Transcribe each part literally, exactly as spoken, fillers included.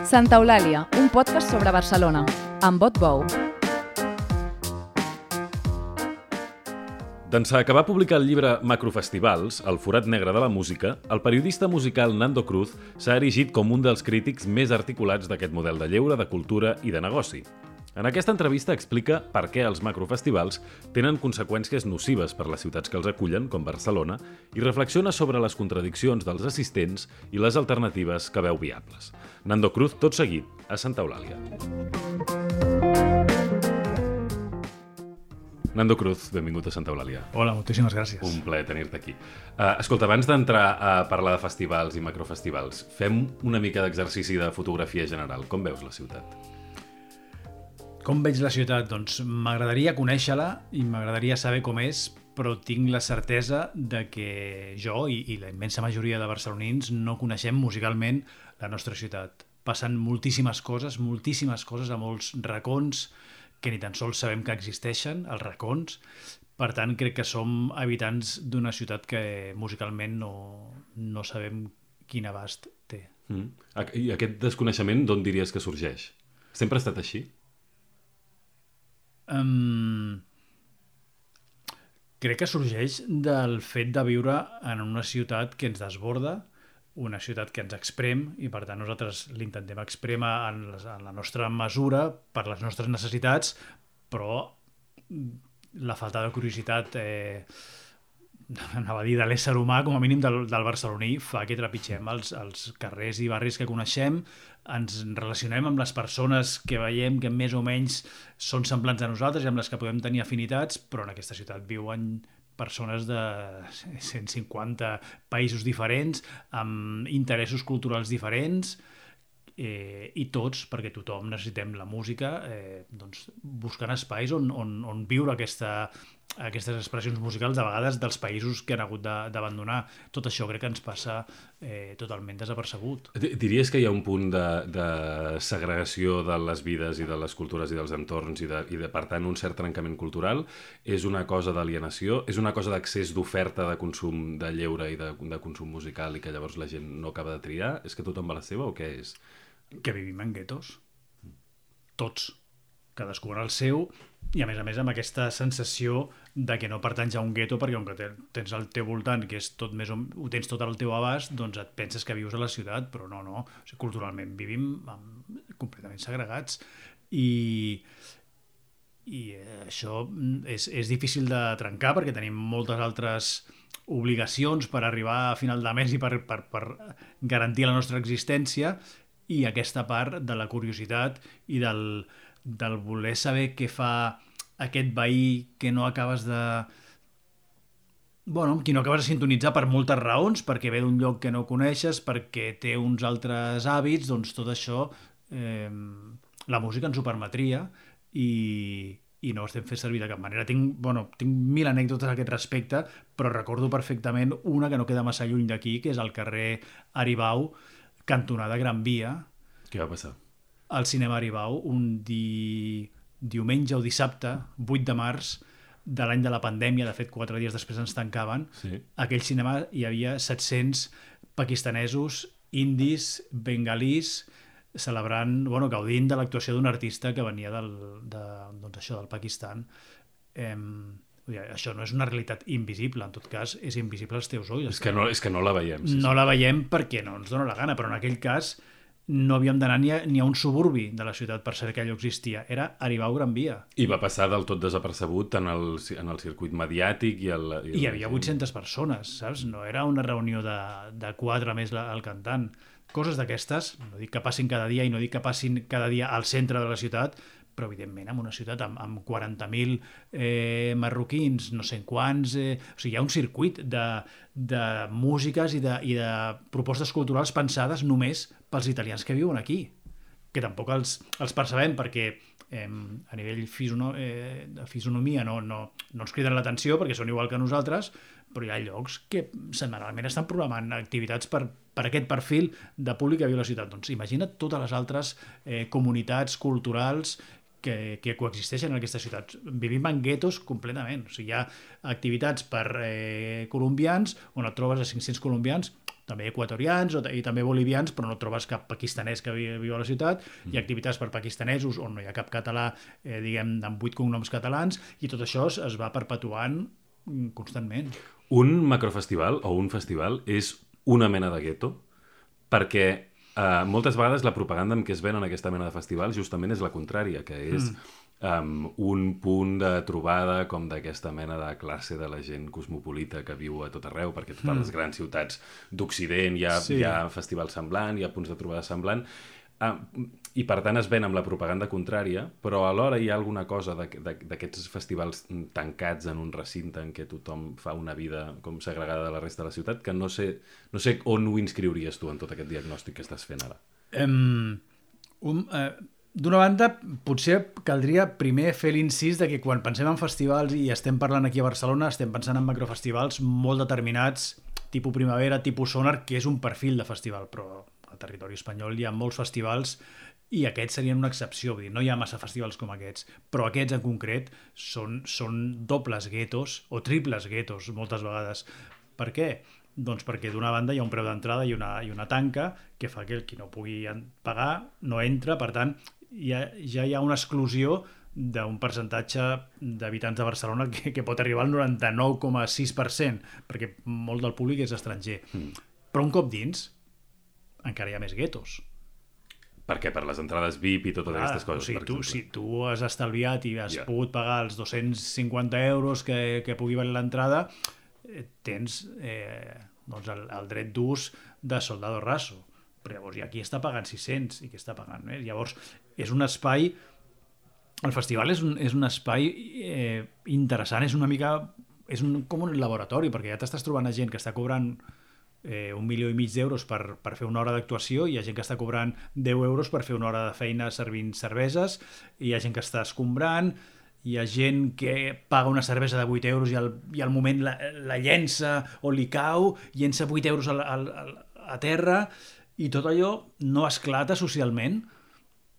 Santa Eulàlia, un podcast sobre Barcelona, amb Bot Bou. D'ençà que va publicar el llibre Macrofestivals, el forat negre de la música, el periodista musical Nando Cruz s'ha erigit com un dels crítics més articulats d'aquest model de lleure, de cultura i de negoci. En aquesta entrevista explica per què els macrofestivals tenen conseqüències nocives per les ciutats que els acullen, com Barcelona, i reflexiona sobre les contradiccions dels assistents i les alternatives que veu viables. Nando Cruz, tot seguit, a Santa Eulàlia. Nando Cruz, benvingut a Santa Eulàlia. Hola, moltíssimes gràcies. Un plaer tenir-te aquí. Uh, escolta, abans d'entrar a parlar de festivals i macrofestivals, fem una mica d'exercici de fotografia general. Com veus la ciutat? Com veig la ciutat? Doncs m'agradaria conèixer-la i m'agradaria saber com és, però tinc la certesa de que jo i, i la immensa majoria de barcelonins no coneixem musicalment la nostra ciutat. Passen moltíssimes coses, moltíssimes coses a molts racons que ni tan sols sabem que existeixen, els racons. Per tant, crec que som habitants d'una ciutat que musicalment no, no sabem quin abast té. Mm. I aquest desconeixement d'on diries que sorgeix? Sempre ha estat així? Um, crec que sorgeix del fet de viure en una ciutat que ens desborda, una ciutat que ens exprem i per tant nosaltres l'intentem exprémer en, en la nostra mesura per les nostres necessitats, però la falta de curiositat eh, anava a dir de l'ésser humà, com a mínim del, del barceloní, fa que trepitgem els, els carrers i barris que coneixem, ens relacionem amb les persones que veiem que més o menys són semblants a nosaltres i amb les que podem tenir afinitats, però en aquesta ciutat viuen persones de cent cinquanta països diferents, amb interessos culturals diferents, eh, i tots, perquè tothom necessitem la música, eh, doncs buscant espais on, on, on viure aquesta, aquestes expressions musicals, de vegades dels països que han hagut d'abandonar. Tot això crec que ens passa eh, totalment desapercebut. Diries que hi ha un punt de, de segregació de les vides i de les cultures i dels entorns i, de, i de, per tant, un cert trencament cultural? És una cosa d'alienació? És una cosa d'accés d'oferta de consum de lleure i de, de consum musical i que llavors la gent no acaba de triar? És que tothom va a la seva o què és? Que vivim en guetos. Tots. Cadascú en el seu, i a més a més amb aquesta sensació de que no pertanys a un gueto, perquè com que tens al teu voltant, que és tot més o, ho tens tot al teu abast, doncs et penses que vius a la ciutat, però no, no. O sigui, culturalment vivim amb, completament segregats i, i això és, és difícil de trencar perquè tenim moltes altres obligacions per arribar a final de mes i per, per, per garantir la nostra existència, i aquesta part de la curiositat i del, del voler saber què fa aquest veí que no acabes de... Bueno, qui no acabes de sintonitzar per moltes raons, perquè ve d'un lloc que no coneixes, perquè té uns altres hàbits, doncs tot això eh, la música ens ho permetria i, i no ho estem fent servir de cap manera. Tinc, bueno, tinc mil anècdotes a aquest respecte, però recordo perfectament una que no queda massa lluny d'aquí, que és al carrer Aribau, cantonada Gran Via. Què va passar? Al cinema Aribau, un di... diumenge o dissabte, vuit de març de l'any de la pandèmia, de fet quatre dies després ens tancaven, sí. Aquell cinema hi havia set-cents pakistanesos, indis, bengalís, celebrant, bueno, gaudint de l'actuació d'un artista que venia del, de, doncs això, del Pakistan. Eh, Això no és una realitat invisible, en tot cas és invisible als teus ulls. És que no, és que no la veiem. Sí, no sí. La veiem perquè no ens dona la gana, però en aquell cas no havíem d'anar ni, ni a un suburbi de la ciutat per saber que allò existia. Era Aribau Gran Via. I va passar del tot desapercebut en el, en el circuit mediàtic. I, el, i, el... I hi havia vuit-centes persones, saps? No era una reunió de, de quatre més la, el cantant. Coses d'aquestes, no dic que passin cada dia i no dic que passin cada dia al centre de la ciutat, però evidentment en una ciutat amb, amb quaranta mil eh, marroquins, no sé quants... Eh, o sigui, hi ha un circuit de, de músiques i de, i de propostes culturals pensades només pels italians que viuen aquí, que tampoc els, els percebem perquè eh, a nivell fisono, eh, de fisonomia no, no, no ens criden l'atenció perquè són igual que nosaltres, però hi ha llocs que setmanalment estan programant activitats per, per aquest perfil de públic que viu a la ciutat. Doncs imagina't totes les altres eh, comunitats culturals que, que coexisteixen en aquesta ciutat. Vivim en guetos completament. O sigui, hi ha activitats per eh, colombians on et trobes a cinc-cents colombians, també equatorians o, i també bolivians, però no trobes cap pakistanès que vi, viu a la ciutat, mm. hi ha activitats per pakistanesos on no hi ha cap català, eh, diguem, amb vuit cognoms catalans, i tot això es, es va perpetuant constantment. Un macrofestival o un festival és una mena de gueto, perquè eh, moltes vegades la propaganda amb què es venen aquesta mena de festivals justament és la contrària, que és mm. um, un punt de trobada com d'aquesta mena de classe de la gent cosmopolita que viu a tot arreu, perquè a totes mm. les grans ciutats d'Occident hi ha, sí. hi ha festivals semblant, hi ha punts de trobada semblant, uh, i per tant es ven amb la propaganda contrària, però alhora hi ha alguna cosa d'aquests festivals tancats en un recinte en què tothom fa una vida com segregada de la resta de la ciutat, que no sé, no sé on ho inscriuries tu en tot aquest diagnòstic que estàs fent ara. Um, um, uh, D'una banda, potser caldria primer fer l'incís de que quan pensem en festivals i estem parlant aquí a Barcelona, estem pensant en macrofestivals molt determinats, tipus primavera, tipus sonar, que és un perfil de festival, però al territori espanyol hi ha molts festivals i aquests serien una excepció, vull dir, no hi ha massa festivals com aquests, però aquests en concret són, són dobles guetos o triples guetos moltes vegades. Per què? Doncs perquè d'una banda hi ha un preu d'entrada i una, i una tanca que fa que el qui no pugui pagar no entra, per tant ja, ja hi ha una exclusió d'un percentatge d'habitants de Barcelona que, que pot arribar al noranta-nou coma sis per cent, perquè molt del públic és estranger. Mm. Però un cop dins encara hi ha més guetos. Per què? Per les entrades V I P i totes ah, aquestes coses, o sigui, per tu, exemple. Si tu has estalviat i has yeah. pogut pagar els dos-cents cinquanta euros que, que pugui valer l'entrada, eh, tens eh, doncs el, el dret d'ús de soldado raso. Però llavors aquí està pagant sis-cents i que està pagant més. Llavors és un espai... El festival és un, és un espai eh, interessant, és una mica... És un, com un laboratori, perquè ja t'estàs trobant a gent que està cobrant Eh, un milió i mig d'euros per, per fer una hora d'actuació, hi ha gent que està cobrant deu euros per fer una hora de feina servint cerveses, hi ha gent que està escombrant, hi ha gent que paga una cervesa de vuit euros i al, i al moment la, la llença o li cau, llença vuit euros al, al, al, a terra, i tot allò no esclata socialment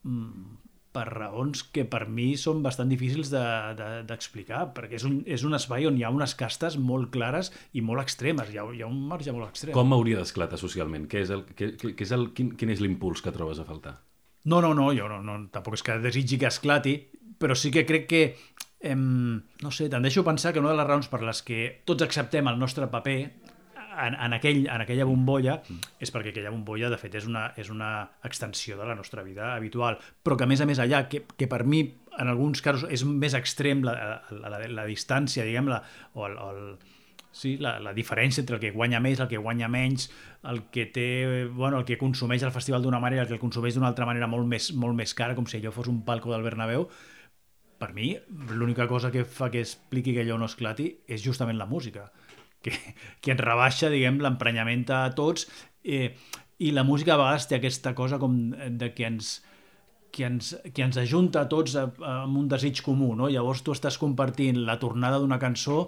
mm, per raons que per mi són bastant difícils d'explicar, de, de, perquè és un, és un espai on hi ha unes castes molt clares i molt extremes, hi ha, hi ha un marge molt extrem. Com hauria d'esclatar socialment? Què és el, què, què és el, quin, quin és l'impuls que trobes a faltar? No, no, no, jo no, no, tampoc és que desitgi que esclati, però sí que crec que, em, no sé, tendeixo a pensar que una de les raons per les que tots acceptem el nostre paper En, en, aquell, en aquella bombolla és perquè aquella bombolla de fet és una, és una extensió de la nostra vida habitual, però que a més a més allà, que, que per mi en alguns casos és més extrem la, la, la, la distància, diguem, la, o el, el, sí, la, la diferència entre el que guanya més, el que guanya menys, el que té, bueno, el que consumeix el festival d'una manera, el que el consumeix d'una altra manera molt més, molt més cara, com si allò fos un palco del Bernabéu. Per mi, l'única cosa que fa que expliqui que allò no esclati és justament la música. Que, que ens rebaixa, diguem, l'emprenyament a tots, eh, i la música a vegades té aquesta cosa com de que ens, que ens, que ens ajunta a tots a, a, amb un desig comú, no? Llavors tu estàs compartint la tornada d'una cançó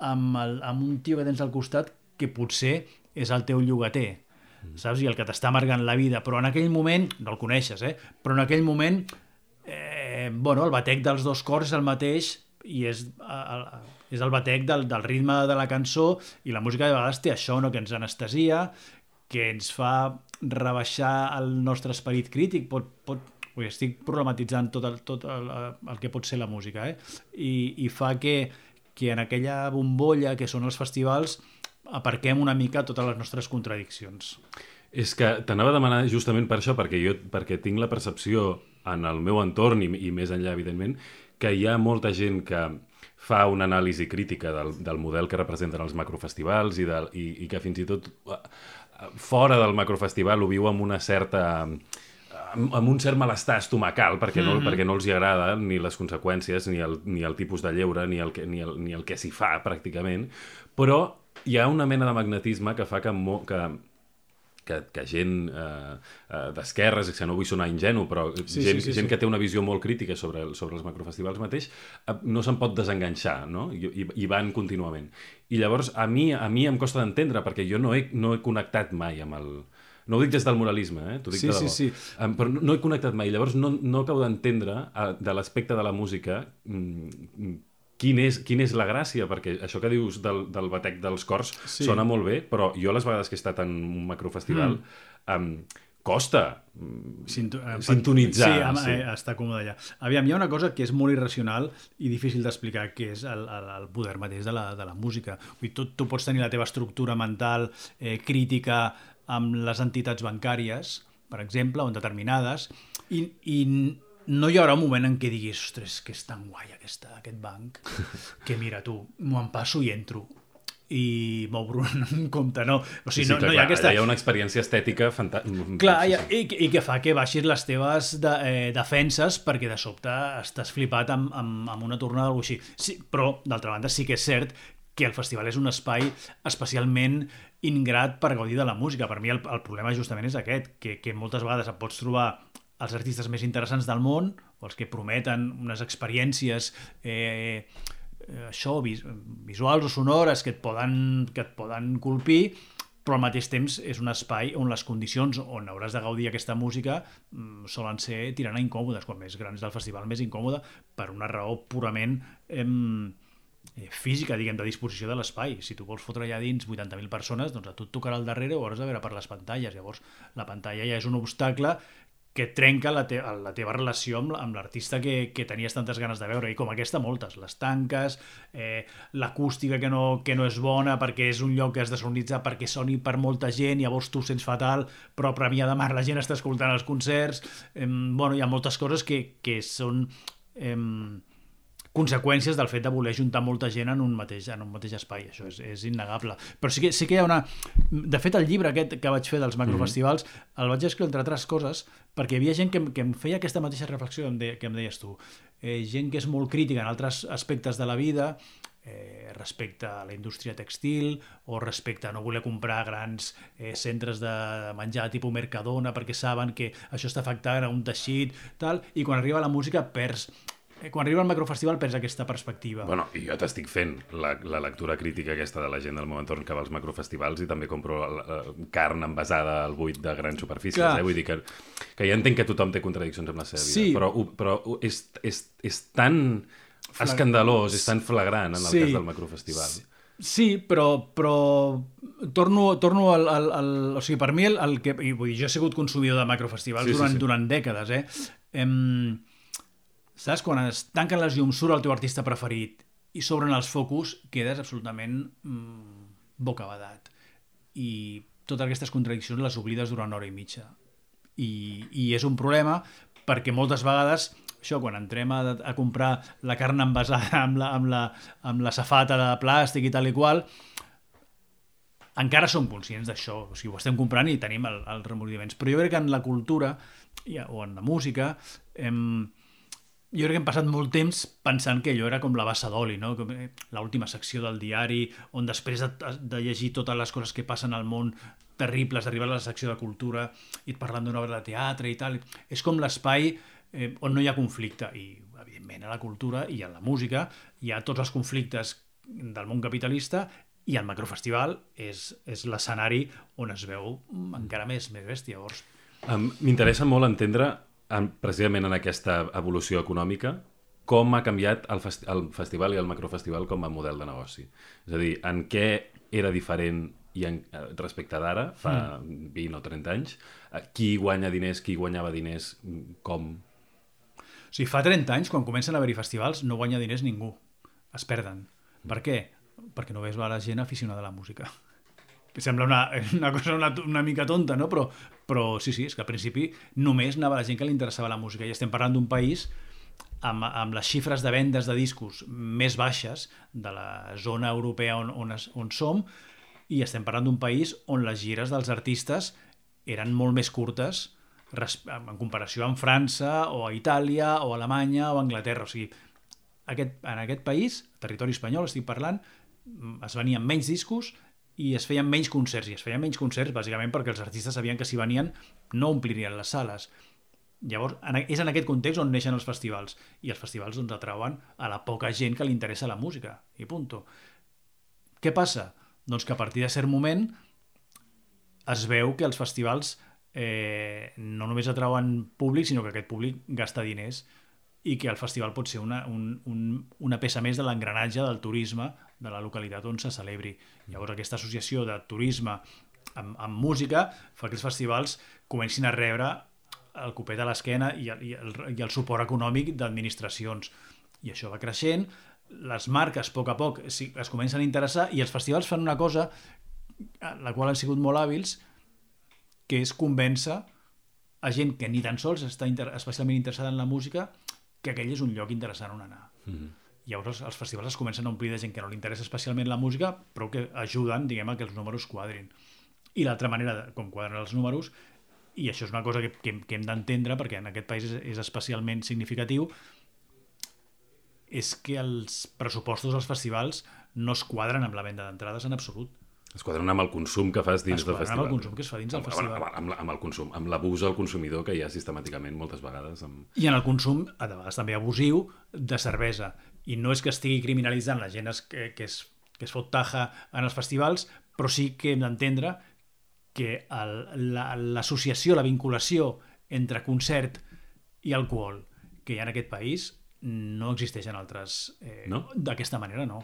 amb, el, amb un tio que tens al costat que potser és el teu llogater, mm. saps? I el que t'està amargant la vida, però en aquell moment, no el coneixes, eh? Però en aquell moment, eh, bueno, el batec dels dos cors és el mateix i és... El, és el batec del, del ritme de la cançó, i la música de vegades té això, no? Que ens anestesia, que ens fa rebaixar el nostre esperit crític, pot, pot, ui, estic problematitzant tot, el, tot el, el que pot ser la música, eh? I, i fa que, que en aquella bombolla que són els festivals aparquem una mica totes les nostres contradiccions. És que t'anava a demanar justament per això, perquè jo perquè tinc la percepció en el meu entorn i, i més enllà, evidentment, que hi ha molta gent que fa una anàlisi crítica del, del model que representen els macrofestivals i, del, i, i que fins i tot fora del macrofestival ho viu amb una certa... amb, amb un cert malestar estomacal, perquè no, mm-hmm. perquè no els hi agrada ni les conseqüències, ni el, ni el tipus de lleure, ni el que, ni el, ni el que s'hi fa, pràcticament. Però hi ha una mena de magnetisme que fa que... Mo, que que, que gent eh, eh, d'esquerres, que no vull sonar ingenu, però sí, gent, sí, sí, gent sí. que té una visió molt crítica sobre, sobre els macrofestivals mateix, eh, no se'n pot desenganxar, no? I, i, i van contínuament. I llavors a mi, a mi em costa d'entendre, perquè jo no he, no he connectat mai amb el... No ho dic des del moralisme, eh? T'ho dic sí, de debò. sí, sí. Um, però no, no he connectat mai. Llavors no, no acabo d'entendre uh, de l'aspecte de la música mm, quin és, quin és la gràcia, perquè això que dius del, del batec dels cors sí. sona molt bé, però jo les vegades que he estat en un macrofestival mm. um, costa Sinto, eh, sintonitzar. Sí, amb, sí. Eh, està còmode allà. Aviam, hi ha una cosa que és molt irracional i difícil d'explicar, que és el, el, el poder mateix de la, de la música. Vull dir, tu, tu pots tenir la teva estructura mental eh, crítica amb les entitats bancàries, per exemple, o en determinades, i, i no hi haurà un moment en què diguis, ostres, que és tan guai aquesta, aquest banc, que mira tu, m'ho en passo i entro i m'obro un compte, no. O sigui, sí, sí, no, clar, no hi ha clar, aquesta... hi ha una experiència estètica fantàstica. Clar, sí, sí. I, i que fa que baixis les teves de, eh, defenses perquè de sobte estàs flipat amb, amb, amb una tornada o alguna cosa així. Sí, però, d'altra banda, sí que és cert que el festival és un espai especialment ingrat per gaudir de la música. Per mi el, el problema justament és aquest, que, que moltes vegades et pots trobar els artistes més interessants del món, o els que prometen unes experiències eh, això, vis, visuals o sonores que et poden, que et poden colpir, però al mateix temps és un espai on les condicions on hauràs de gaudir aquesta música mm, solen ser tirant a incòmodes. Quan més grans del festival, més incòmode, per una raó purament eh, física, diguem, de disposició de l'espai. Si tu vols fotre allà dins vuitanta mil persones, doncs a tu et tocarà el darrere o hauràs de veure per les pantalles. Llavors, la pantalla ja és un obstacle que trenca la, te la teva relació amb, amb l'artista que, que tenies tantes ganes de veure, i com aquesta moltes, les tanques, eh, l'acústica que, no, que no és bona perquè és un lloc que has de sonoritzar perquè soni per molta gent, llavors tu sents fatal, però a Premià de Mar la gent està escoltant els concerts, eh, bueno, hi ha moltes coses que, que són eh, conseqüències del fet de voler juntar molta gent en un mateix, en un mateix espai. Això és, és innegable. Però sí que, sí que hi ha una... De fet, el llibre aquest que vaig fer dels macrofestivals mm-hmm. el vaig escriure, entre altres coses, perquè hi havia gent que, que em feia aquesta mateixa reflexió que em, de, que em deies tu. Eh, gent que és molt crítica en altres aspectes de la vida, eh, respecte a la indústria textil o respecte a no voler comprar grans eh, centres de menjar tipus Mercadona perquè saben que això està afectant a un teixit, tal, i quan arriba la música perds... Quan arriba al macrofestival perds aquesta perspectiva. Bueno, i jo t'estic fent la, la lectura crítica aquesta de la gent del meu entorn que va als macrofestivals i també compro la, la, carn envasada al buit de grans superfícies. Eh? Vull dir que, que ja entenc que tothom té contradiccions amb la seva vida, sí. però, però és, és, és tan Flag... escandalós, és tan flagrant en el sí. cas del macrofestival. Sí. Sí, però, però torno, torno al, al, al... O sigui, per mi, el, el que... Vull dir, jo he sigut consumidor de macrofestivals sí, durant, sí, sí. durant dècades, eh? Em... Saps? Quan es tanquen les llums, surt el teu artista preferit i s'obren els focus, quedes absolutament mmm, bocabadat. I totes aquestes contradiccions les oblides durant una hora i mitja. I, i és un problema perquè moltes vegades, això, quan entrem a, a comprar la carn envasada amb la, amb, la, amb la safata de plàstic i tal i qual, encara som conscients d'això. O sigui, ho estem comprant i tenim el, els remordiments. Però jo crec que en la cultura o en la música... Em, jo crec que hem passat molt temps pensant que allò era com la bassa d'oli, no? L'última secció del diari, on després de, de llegir totes les coses que passen al món terribles, arribar a la secció de cultura i parlant d'una obra de teatre i tal. És com l'espai eh, on no hi ha conflicte. I, evidentment, a la cultura i a la música hi ha tots els conflictes del món capitalista i el macrofestival és, és l'escenari on es veu encara més, més bèstia. Llavors... Um, M'interessa molt entendre... precisament en aquesta evolució econòmica, com ha canviat el, festi el festival i el macrofestival com a model de negoci. És a dir, en què era diferent i en, respecte d'ara, fa mm. vint o trenta anys, qui guanya diners, qui guanyava diners, com... O sigui, fa trenta anys, quan comencen a haver-hi festivals, no guanya diners ningú. Es perden. Per què? Perquè no ves la gent aficionada a la música. Sembla una, una cosa una, una mica tonta, no? Però, però sí, sí, és que al principi només anava la gent que li interessava la música. I estem parlant d'un país amb, amb les xifres de vendes de discos més baixes de la zona europea on, on, es, on som, i estem parlant d'un país on les gires dels artistes eren molt més curtes en comparació amb França o a Itàlia o a Alemanya o a Anglaterra. O sigui, aquest, en aquest país, territori espanyol estic parlant, es venien menys discos i es feien menys concerts, i es feien menys concerts bàsicament perquè els artistes sabien que si venien no omplirien les sales. Llavors, és en aquest context on neixen els festivals, i els festivals doncs atrauen a la poca gent que li interessa la música, i punto. Què passa? Doncs que a partir de cert moment es veu que els festivals eh, no només atrauen públic, sinó que aquest públic gasta diners i que el festival pot ser una, un, un, una peça més de l'engranatge del turisme de la localitat on se celebri. Llavors aquesta associació de turisme amb, amb música fa que els festivals comencin a rebre el copet a l'esquena i, i, el, i el suport econòmic d'administracions. I això va creixent, les marques a poc a poc es, es comencen a interessar i els festivals fan una cosa a la qual han sigut molt hàbils, que és convèncer a gent que ni tan sols està inter especialment interessada en la música que aquell és un lloc interessant on anar. Mm-hmm. Llavors els festivals es comencen a omplir de gent que no li interessa especialment la música, però que ajuden, diguem, a que els números quadrin. I l'altra manera de com quadren els números, i això és una cosa que, que, que hem d'entendre, perquè en aquest país és, és especialment significatiu, és que els pressupostos dels festivals no es quadren amb la venda d'entrades en absolut. Es quadren amb el consum que fas dins del festival. Es quadren amb el consum que es fa dins del festival. Amb, amb, amb el consum, amb l'abús al consumidor que hi ha sistemàticament moltes vegades. Amb... I en el consum, a vegades també abusiu, de cervesa. I no és que estigui criminalitzant la gent que, que, es, que es fot taja en els festivals, però sí que hem d'entendre que l'associació, la, la vinculació entre concert i alcohol que hi ha en aquest país no existeix en altres... Eh, no? D'aquesta manera, no.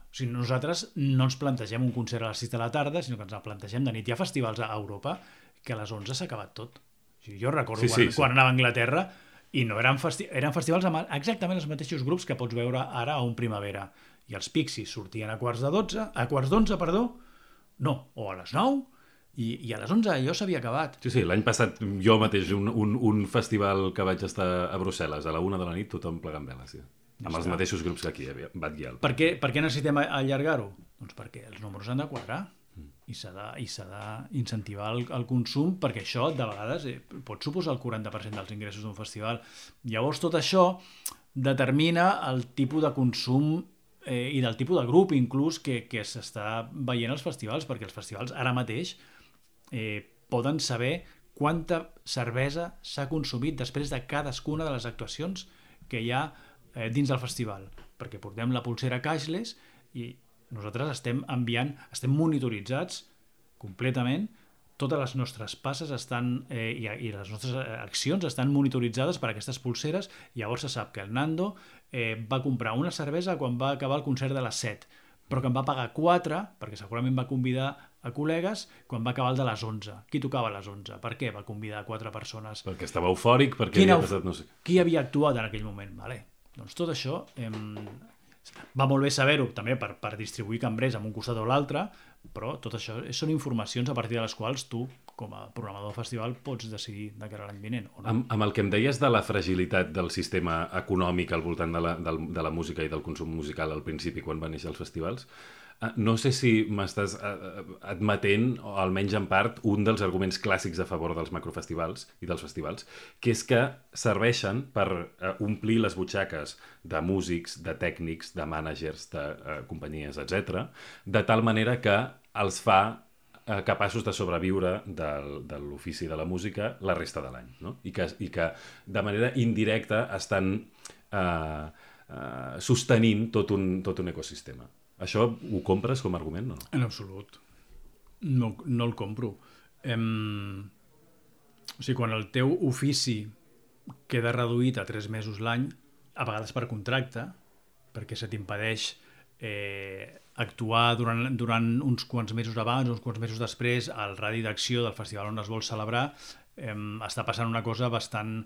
O sigui, nosaltres no ens plantegem un concert a les sis de la tarda, sinó que ens el plantegem de nit. Hi ha festivals a Europa que a les onze s'ha acabat tot. O sigui, jo recordo sí, quan, sí, sí. quan anava a Anglaterra i no eren, festi eren festivals amb exactament els mateixos grups que pots veure ara a un Primavera. I els Pixies sortien a quarts de dotze, a quarts d'onze, perdó, no, o a les nou, i, i a les onze allò s'havia acabat. Sí, sí, l'any passat jo mateix, un, un, un festival que vaig estar a Brussel·les, a la una de la nit, tothom plegant veles, sí. Amb els mateixos grups que aquí, Bad Gyal. Per què, per què necessitem allargar-ho? Doncs perquè els números han de quadrar mm. i s'ha d'incentivar el, el consum, perquè això de vegades eh, pot suposar el quaranta per cent dels ingressos d'un festival. Llavors tot això determina el tipus de consum eh, i del tipus de grup inclús que, que s'està veient als festivals, perquè els festivals ara mateix eh, poden saber quanta cervesa s'ha consumit després de cadascuna de les actuacions que hi ha Eh, dins del festival, perquè portem la pulsera cashless i nosaltres estem enviant, estem monitoritzats completament, totes les nostres passes estan eh, i, i les nostres accions estan monitoritzades per aquestes pulseres. Llavors se sap que el Nando eh, va comprar una cervesa quan va acabar el concert de les set, però que en va pagar quatre, perquè segurament va convidar a col·legues quan va acabar el de les onze. Qui tocava a les onze? Per què va convidar quatre persones? Perquè estava eufòric, perquè havia passat no sé... Qui havia actuat en aquell moment? Vale. Doncs tot això eh, va molt bé saber-ho també per, per distribuir cambrers amb un costat o l'altre, però tot això són informacions a partir de les quals tu, com a programador del festival, pots decidir de cara a l'any vinent. O no? Amb, amb el que em deies de la fragilitat del sistema econòmic al voltant de la, de, de la música i del consum musical al principi, quan van néixer els festivals, no sé si m'estàs admetent, o almenys en part, un dels arguments clàssics a favor dels macrofestivals i dels festivals, que és que serveixen per omplir les butxaques de músics, de tècnics, de mànagers, de uh, companyies, etcètera, de tal manera que els fa uh, capaços de sobreviure del, de l'ofici de la música la resta de l'any, no? I que, i que de manera indirecta estan uh, uh, sostenint tot un, tot un ecosistema. Això ho compres com a argument, no? En absolut. No, no el compro. Em... O sigui, quan el teu ofici queda reduït a tres mesos l'any, a vegades per contracte, perquè se t'impedeix eh, actuar durant, durant uns quants mesos abans, uns quants mesos després, al radi d'acció del festival on es vol celebrar, eh, està passant una cosa bastant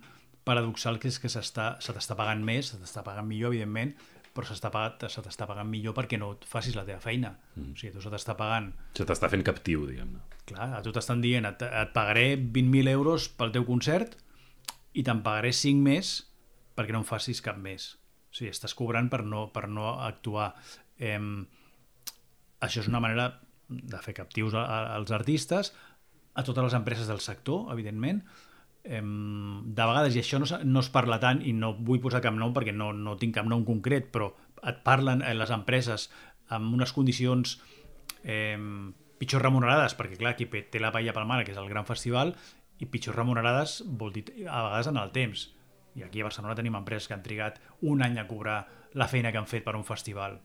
paradoxal, que és que se t'està pagant més, se t'està pagant millor, evidentment, però se t'està pagant millor perquè no facis la teva feina. Mm. O sigui, tu se t'està pagant... Se t'està fent captiu, diguem-ne. Clar, a tu t'estan dient, et, et pagaré vint mil euros pel teu concert i te'n pagaré cinc més perquè no em facis cap més. O sigui, estàs cobrant per no, per no actuar. Eh, això és una manera de fer captius a, a, als artistes, a totes les empreses del sector, evidentment. Eh, de vegades, i això no, no es parla tant, i no vull posar cap nom perquè no, no tinc cap nom concret, però et parlen eh, les empreses amb unes condicions eh, pitjor remunerades, perquè clar, qui té la paella pel mar, que és el gran festival, i pitjor remunerades vol dir a vegades en el temps. I aquí a Barcelona tenim empreses que han trigat un any a cobrar la feina que han fet per un festival,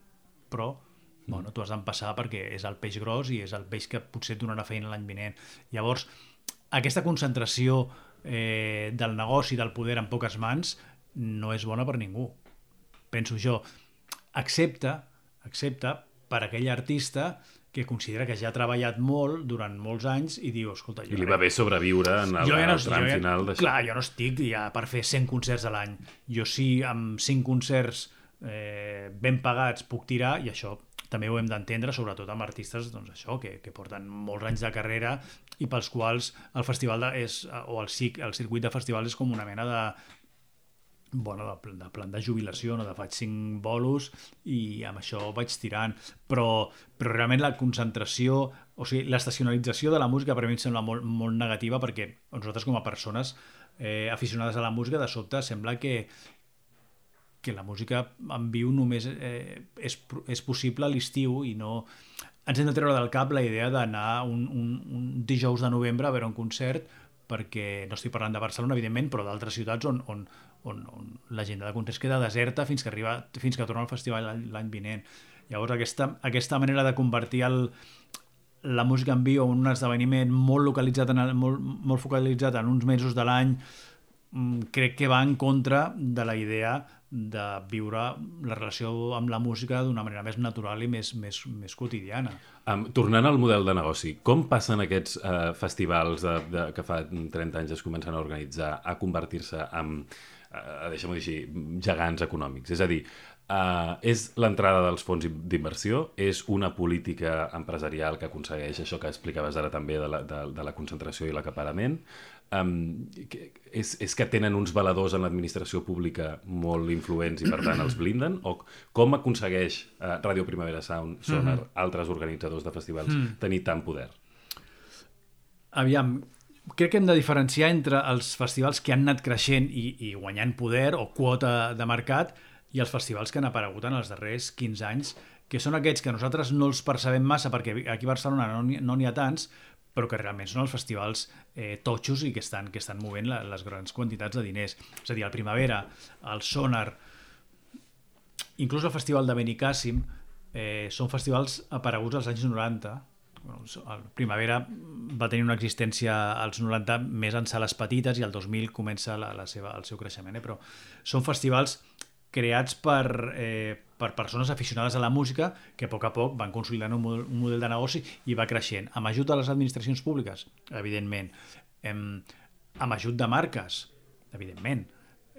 però mm. bueno, tu has d'empassar perquè és el peix gros i és el peix que potser et donarà feina l'any vinent. Llavors, aquesta concentració eh, del negoci, del poder en poques mans, no és bona per ningú. Penso jo, excepte, excepte per aquell artista que considera que ja ha treballat molt durant molts anys i diu, escolta... Jo I li va bé sobreviure en el, ja no, el tram ja, final d'això. Clar, jo no estic ja per fer cent concerts a l'any. Jo sí, amb cinc concerts eh, ben pagats puc tirar, i això també ho hem d'entendre, sobretot amb artistes doncs això, que, que porten molts anys de carrera i pels quals el festival de, és, o el, cic, el circuit de festivals és com una mena de, bueno, de, de plan de jubilació, no? De faig cinc bolos i amb això vaig tirant, però, però realment la concentració, o sigui, l'estacionalització de la música per a mi em sembla molt, molt negativa, perquè nosaltres com a persones eh, aficionades a la música, de sobte sembla que que la música en viu només eh, és, és possible a l'estiu i no... Ens hem de treure del cap la idea d'anar un, un, un dijous de novembre a veure un concert, perquè no estic parlant de Barcelona, evidentment, però d'altres ciutats on, on, on, on l'agenda de concerts queda deserta fins que arriba, fins que torna al festival l'any vinent. Llavors, aquesta, aquesta manera de convertir el, la música en viu en un esdeveniment molt localitzat, en, molt, molt focalitzat en uns mesos de l'any, crec que va en contra de la idea de viure la relació amb la música d'una manera més natural i més, més, més quotidiana. Um, tornant al model de negoci, com passen aquests uh, festivals de, de, que fa trenta anys es comencen a organitzar a convertir-se en, uh, deixem-ho dir així, gegants econòmics? És a dir, uh, és l'entrada dels fons d'inversió, és una política empresarial que aconsegueix això que explicaves ara també de la, de, de la concentració i l'acaparament, Um, és, és que tenen uns valedors en l'administració pública molt influents i per tant els blinden, o com aconsegueix uh, Ràdio Primavera Sound, Sonar, mm-hmm. altres organitzadors de festivals mm. tenir tant poder? Aviam, crec que hem de diferenciar entre els festivals que han anat creixent i, i guanyant poder o quota de mercat i els festivals que han aparegut en els darrers quinze anys, que són aquests que nosaltres no els percebem massa perquè aquí a Barcelona no n'hi, no n'hi ha tants, però que realment són els festivals eh, totxos i que estan, que estan movent la, les grans quantitats de diners. És a dir, el Primavera, el Sonar, inclús el Festival de Benicàssim, eh, són festivals apareguts als anys noranta. Bueno, el Primavera va tenir una existència als noranta més en sales petites i al dos mil comença la, la seva, el seu creixement. Eh? Però són festivals creats per, eh, per persones aficionades a la música que a poc a poc van consolidant un model, un model de negoci i va creixent. Amb ajut de les administracions públiques, evidentment. Em, amb ajut de marques, evidentment.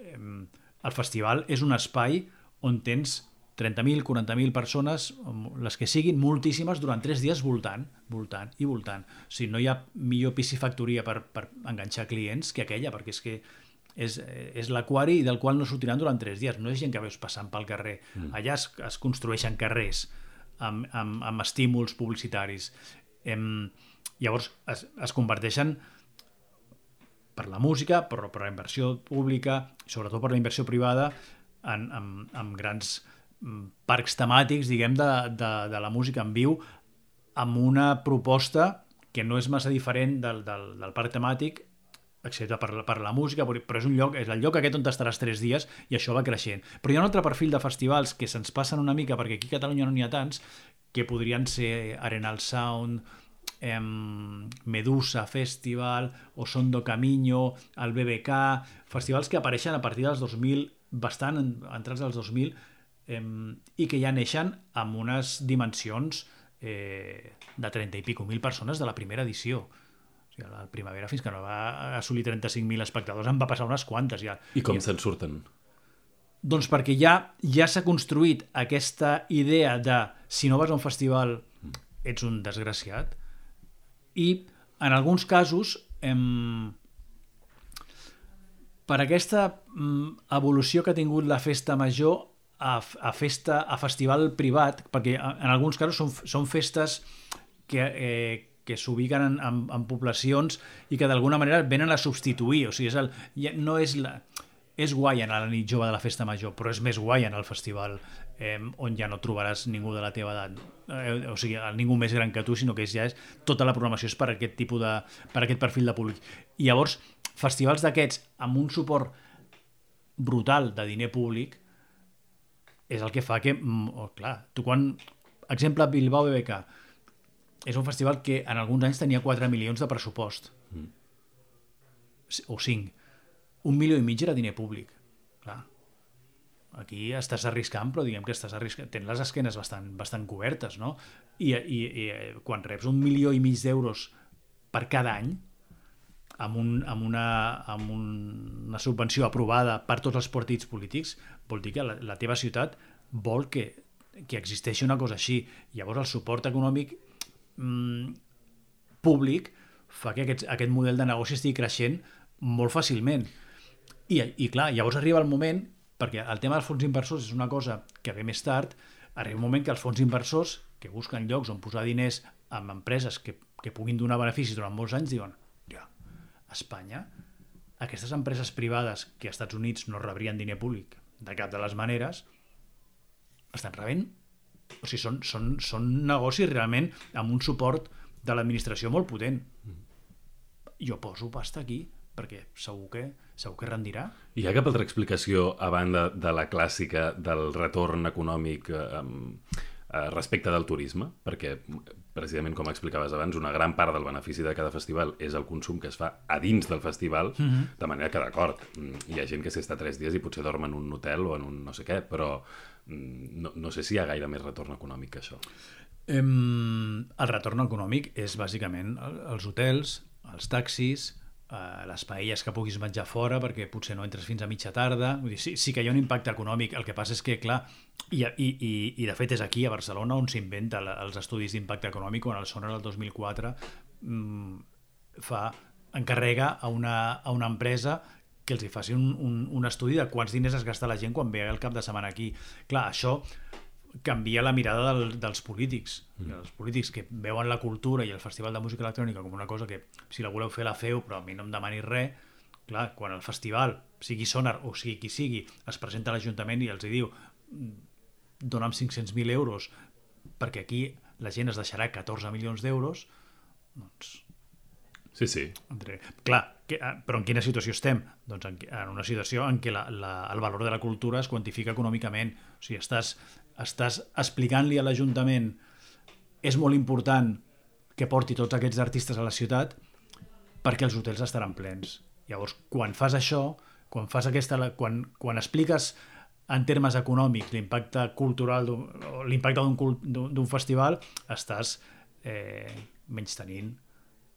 Em, el festival és un espai on tens trenta mil, quaranta mil persones, les que siguin, moltíssimes, durant tres dies voltant, voltant i voltant. O sigui, no hi ha millor piscifactoria per, per enganxar clients que aquella, perquè és que és, és l'aquari del qual no sortiran durant tres dies. No és gent que veus passant pel carrer. Mm. Allà es, es construeixen carrers amb, amb, amb estímuls publicitaris. Em, llavors es, es converteixen per la música, per, per la inversió pública, sobretot per la inversió privada, en, en, en grans parcs temàtics, diguem, de, de, de la música en viu, amb una proposta que no és massa diferent del, del, del parc temàtic, excepte per, per la música, però és un lloc, és el lloc aquest on estaràs tres dies i això va creixent. Però hi ha un altre perfil de festivals que se'ns passen una mica, perquè aquí a Catalunya no n'hi ha tants, que podrien ser Arenal Sound, em, Medusa Festival, o Sondo Camino, el B B K, festivals que apareixen a partir dels dos mil, bastant entrats dels dos mil, em, i que ja neixen amb unes dimensions eh, de trenta i pico mil persones de la primera edició. La Primavera, fins que no va assolir trenta-cinc mil espectadors, en va passar unes quantes ja. I com I... se'n surten? Doncs perquè ja ja s'ha construït aquesta idea de si no vas a un festival ets un desgraciat, i en alguns casos em... per aquesta em, evolució que ha tingut la festa major a, a festa a festival privat, perquè en alguns casos són, són festes que eh, que s'ubiquen en, en, en poblacions i que d'alguna manera venen a substituir. O sigui, és el, no és, la, és guai anar a la nit jove de la festa major, però és més guai anar al festival eh, on ja no trobaràs ningú de la teva edat, eh, o sigui, ningú més gran que tu, sinó que és, ja és, tota la programació és per aquest tipus de, per aquest perfil de públic. I llavors, festivals d'aquests amb un suport brutal de diner públic és el que fa que, oh, clar, tu quan, exemple, Bilbao B B K, és un festival que en alguns anys tenia quatre milions de pressupost. Mm. O cinc. Un milió i mig era diner públic. clar, aquí estàs arriscant, però diguem que estàs arriscant, tens les esquenes bastant, bastant cobertes, no? I, i, i quan reps un milió i mig d'euros per cada any, amb, un, amb, una, amb un, una subvenció aprovada per tots els partits polítics, vol dir que la, la teva ciutat vol que, que existeixi una cosa així. Llavors el suport econòmic mmm, públic fa que aquest, aquest model de negoci estigui creixent molt fàcilment. I, i clar, llavors arriba el moment, perquè el tema dels fons inversors és una cosa que ve més tard, arriba un moment que els fons inversors que busquen llocs on posar diners amb empreses que, que puguin donar beneficis durant molts anys, diuen, ja, a Espanya, aquestes empreses privades que als Estats Units no rebrien diner públic de cap de les maneres, estan rebent, o sigui, són, són, són negocis realment amb un suport de l'administració molt potent. Jo poso pasta aquí, perquè segur que, segur que rendirà. Hi ha cap altra explicació a banda de la clàssica del retorn econòmic eh, eh, respecte del turisme? Perquè, precisament com explicaves abans, una gran part del benefici de cada festival és el consum que es fa a dins del festival, mm-hmm. de manera que, d'acord, hi ha gent que s'hi està tres dies i potser dorm en un hotel o en un no sé què, però no, no sé si hi ha gaire més retorn econòmic que això. Um, el retorn econòmic és bàsicament els hotels, els taxis, Uh, les paelles que puguis menjar fora perquè potser no entres fins a mitja tarda. Vull dir, sí, sí que hi ha un impacte econòmic, el que passa és que, clar, i, i, i, i de fet és aquí a Barcelona on s'inventa els estudis d'impacte econòmic, quan el Sonar el dos mil quatre mm, fa, encarrega a una, a una empresa que els hi faci un, un, un estudi de quants diners es gasta la gent quan ve el cap de setmana aquí. Clar, això canvia la mirada del, dels polítics. Mm. Els polítics que veuen la cultura i el Festival de Música Electrònica com una cosa que, si la voleu fer, la feu, però a mi no em demanis res. Clar, quan el festival, sigui Sonar o sigui qui sigui, es presenta a l'Ajuntament i els hi diu dona'm cinc-cents mil euros perquè aquí la gent es deixarà catorze milions d'euros, doncs... Sí, sí. Entre... Clar, que, però en quina situació estem? Doncs en, en una situació en què la, la, el valor de la cultura es quantifica econòmicament. O sigui, estàs, estàs explicant-li a l'Ajuntament és molt important que porti tots aquests artistes a la ciutat perquè els hotels estaran plens. Llavors, quan fas això, quan fas aquesta, quan, quan expliques en termes econòmics l'impacte cultural, l'impacte d'un, d'un festival, estàs eh, menystenint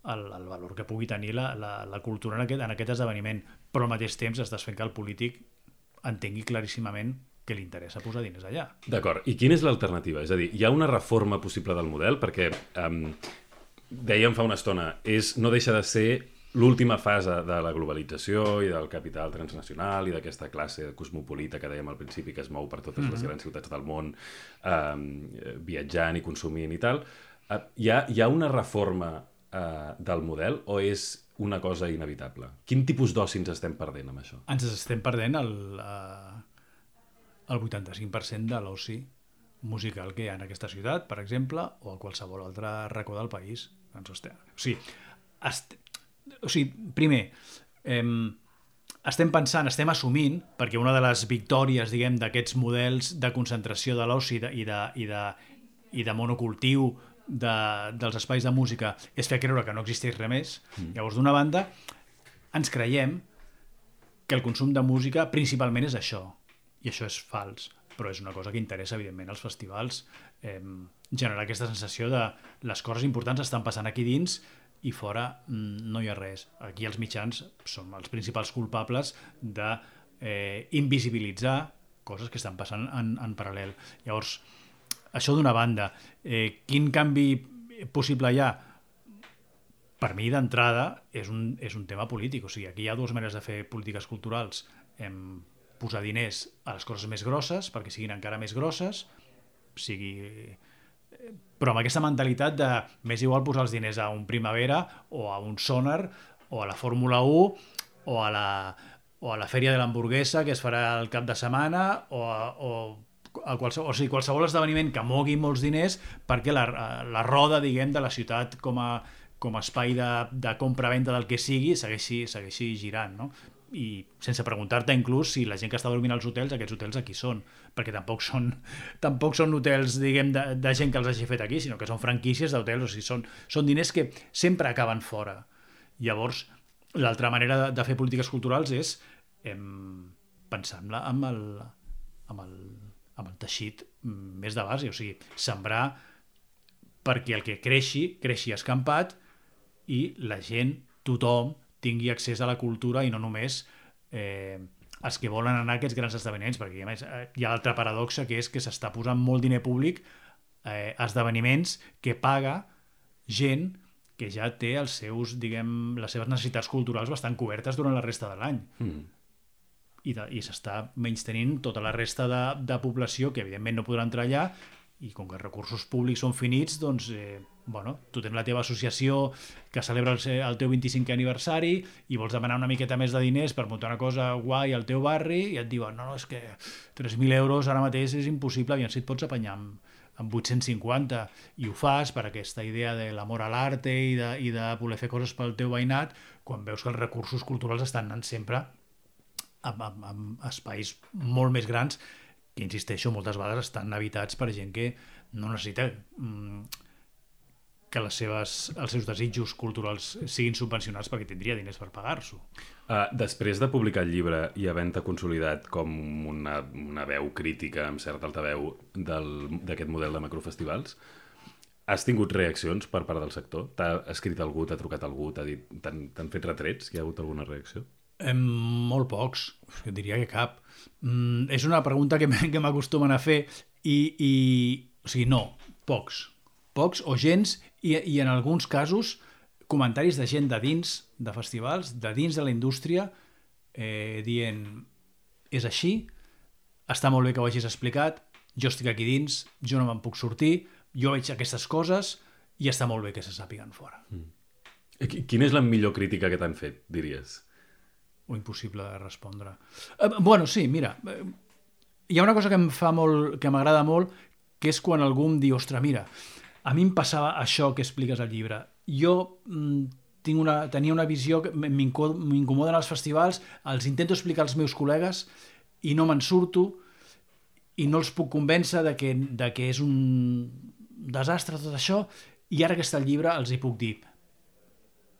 El, el valor que pugui tenir la, la, la cultura en aquest, en aquest esdeveniment, però al mateix temps estàs fent que el polític entengui claríssimament que li interessa posar diners allà. D'acord, i quina és l'alternativa? És a dir, hi ha una reforma possible del model? Perquè, um, dèiem fa una estona, és, no deixa de ser l'última fase de la globalització i del capital transnacional i d'aquesta classe cosmopolita que dèiem al principi que es mou per totes mm-hmm. les grans ciutats del món um, viatjant i consumint i tal. Uh, hi, ha, hi ha una reforma Uh, del model o és una cosa inevitable? Quin tipus d'oci ens estem perdent amb això? Ens estem perdent el, uh, el vuitanta-cinc per cent de l'oci musical que hi ha en aquesta ciutat, per exemple, o a qualsevol altre racó del país. Ens estem... O sigui, est... o sigui primer, em... estem pensant, estem assumint, perquè una de les victòries, diguem, d'aquests models de concentració de l'oci i de, i de, i de monocultiu De, dels espais de música és fer creure que no existeix res més. Mm. Llavors, d'una banda, ens creiem que el consum de música principalment és això, i això és fals, però és una cosa que interessa evidentment als festivals, eh, generar aquesta sensació de les coses importants estan passant aquí dins i fora mm, no hi ha res. Aquí els mitjans són els principals culpables de eh, invisibilitzar coses que estan passant en, en paral·lel. Llavors, això d'una banda. Eh, quin canvi possible hi ha? Per mi, d'entrada, és un, és un tema polític. O sigui, aquí hi ha dues maneres de fer polítiques culturals. Hem posar diners a les coses més grosses perquè siguin encara més grosses, sigui... però amb aquesta mentalitat de més igual posar els diners a un Primavera o a un Sonar o a la Fórmula u o a la, o a la Fèria de l'Hamburguesa que es farà el cap de setmana o a... O a qualsevol, o sigui, qualsevol esdeveniment que mogui molts diners perquè la, la roda, diguem, de la ciutat com a, com a espai de, de compra-venda del que sigui segueixi, segueixi girant, no? I sense preguntar-te inclús si la gent que està dormint als hotels, aquests hotels aquí són, perquè tampoc són, tampoc són hotels, diguem, de, de gent que els hagi fet aquí, sinó que són franquícies d'hotels, o sigui, són, són diners que sempre acaben fora. Llavors, l'altra manera de, de fer polítiques culturals és em, pensant-la amb el, amb, el, amb el teixit més de base, o sigui, sembrar perquè el que creixi, creixi escampat i la gent, tothom, tingui accés a la cultura i no només eh, els que volen anar a aquests grans esdeveniments, perquè a més hi ha l'altra paradoxa que és que s'està posant molt diner públic eh, a esdeveniments que paga gent que ja té els seus, diguem, les seves necessitats culturals bastant cobertes durant la resta de l'any. Mm. I, de, i s'està menystenint tota la resta de, de població que evidentment no podrà entrar allà, i com que els recursos públics són finits, doncs, eh, bueno, tu tens la teva associació que celebra el, el teu vint-i-cinquè aniversari i vols demanar una miqueta més de diners per muntar una cosa guai al teu barri i et diuen, no, no, és que tres mil euros ara mateix és impossible, aviam si et pots apanyar amb, amb vuit-cents cinquanta, i ho fas per aquesta idea de l'amor a l'arte i de, i de voler fer coses pel teu veïnat, quan veus que els recursos culturals estan anant sempre amb, amb, amb espais molt més grans que, insisteixo, moltes vegades estan habitats per gent que no necessita mm, que les seves, els seus desitjos culturals siguin subvencionats perquè tindria diners per pagar-s'ho. Uh, després de publicar el llibre i havent-te consolidat com una, una veu crítica amb cert altaveu d'aquest model de macrofestivals, has tingut reaccions per part del sector? T'ha escrit algú, t'ha trucat algú, t'ha dit, t'han, t'han fet retrets? Hi ha hagut alguna reacció? Eh, molt pocs, diria que cap. Mm, és una pregunta que m'acostumen a fer i, i... O sigui, no, pocs. Pocs o gens, i, i en alguns casos comentaris de gent de dins de festivals, de dins de la indústria, eh, dient, és així, està molt bé que ho hagis explicat, jo estic aquí dins, jo no me'n puc sortir, jo veig aquestes coses i està molt bé que se sàpiguen fora. Mm. Quina és la millor crítica que t'han fet, diries? O impossible de respondre. Eh, bueno, sí, mira, eh, hi ha una cosa que em fa molt, que m'agrada molt, que és quan algú em diu, ostres, mira, a mi em passava això que expliques al llibre. Jo mm, tinc una, tenia una visió que m'incomoden els festivals, els intento explicar als meus col·legues i no me'n surto i no els puc convèncer de que, de que és un desastre tot això, i ara que està el llibre els hi puc dir,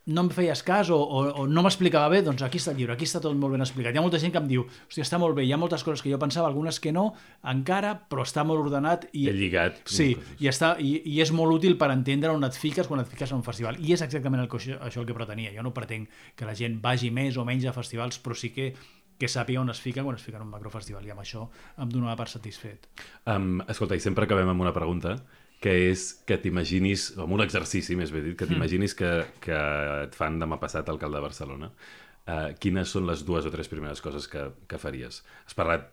no em feies cas o, o, o no m'explicava bé, doncs aquí està el llibre, aquí està tot molt ben explicat. Hi ha molta gent que em diu, hòstia, està molt bé, hi ha moltes coses que jo pensava, algunes que no, encara, però està molt ordenat. I, He lligat. Sí, i, està, i, i és molt útil per entendre on et fiques quan et fiques a un festival. I és exactament el que, això el que pretenia. Jo no pretenc que la gent vagi més o menys a festivals, però sí que que sàpiga on es fica quan es fica en un macrofestival, i amb això em donava per satisfet. Um, escolta, i sempre acabem amb una pregunta, que és que t'imaginis, amb un exercici més bé dit, que t'imaginis que, que et fan demà passat alcalde de Barcelona. Uh, quines són les dues o tres primeres coses que, que faries? Has parlat,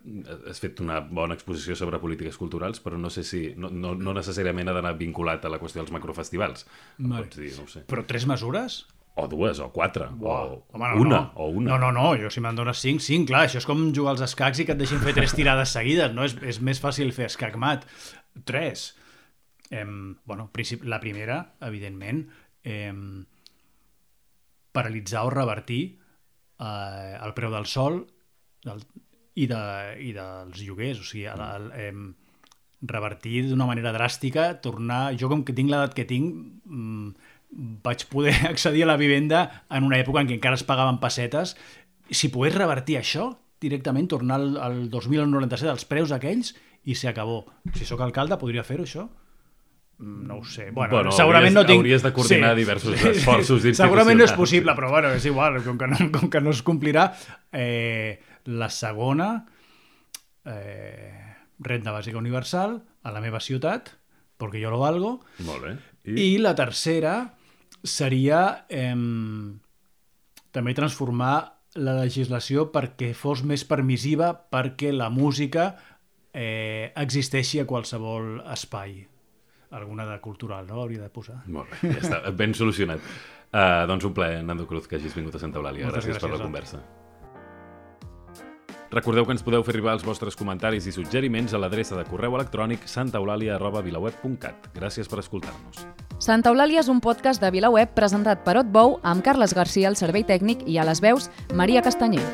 has fet una bona exposició sobre polítiques culturals, però no sé si, no, no, no necessàriament ha d'anar vinculat a la qüestió dels macrofestivals. Vale. Pots dir, no ho sé. Però tres mesures? O dues, o quatre, Uau. o Home, no, una, no. o una. No, no, no, jo si me'n dones cinc, cinc, clar, això és com jugar als escacs i que et deixin fer tres tirades seguides, no? És, és més fàcil fer escac-mat. Tres. Eh, bueno, la primera, evidentment, eh, paralitzar o revertir eh, el preu del sol del, i, de, i dels lloguers, o sigui, el, el, eh, revertir d'una manera dràstica, tornar... Jo, com que tinc l'edat que tinc, mm, vaig poder accedir a la vivenda en una època en què encara es pagaven pessetes. Si pogués revertir això, directament tornar al, al dos mil noranta-set als preus aquells i s'acabó. Si sóc alcalde, podria fer-ho, això? No ho sé. Bueno, bueno segurament hauries, no tinc... hauries de coordinar sí. diversos esforços institucionals. Segurament no és possible, però bueno, és igual, com que no, com que no es complirà. Eh, la segona, eh, renda bàsica universal a la meva ciutat, perquè jo lo valgo. Molt bé. I, I la tercera seria eh, també transformar la legislació perquè fos més permissiva, perquè la música eh, existeixi a qualsevol espai. Alguna de cultural, no? Hauria de posar. Molt bé, ja està, ben solucionat. Uh, doncs un plaer, Nando Cruz, que hagis vingut a Santa Eulàlia. Gràcies, gràcies per la conversa. Recordeu que ens podeu fer arribar els vostres comentaris i suggeriments a l'adreça de correu electrònic santaeulàlia arroba vilaweb punt cat. Gràcies per escoltar-nos. Santa Eulàlia és un podcast de VilaWeb presentat per Otbou amb Carles Garcia al servei tècnic i a les veus Maria Castanyer.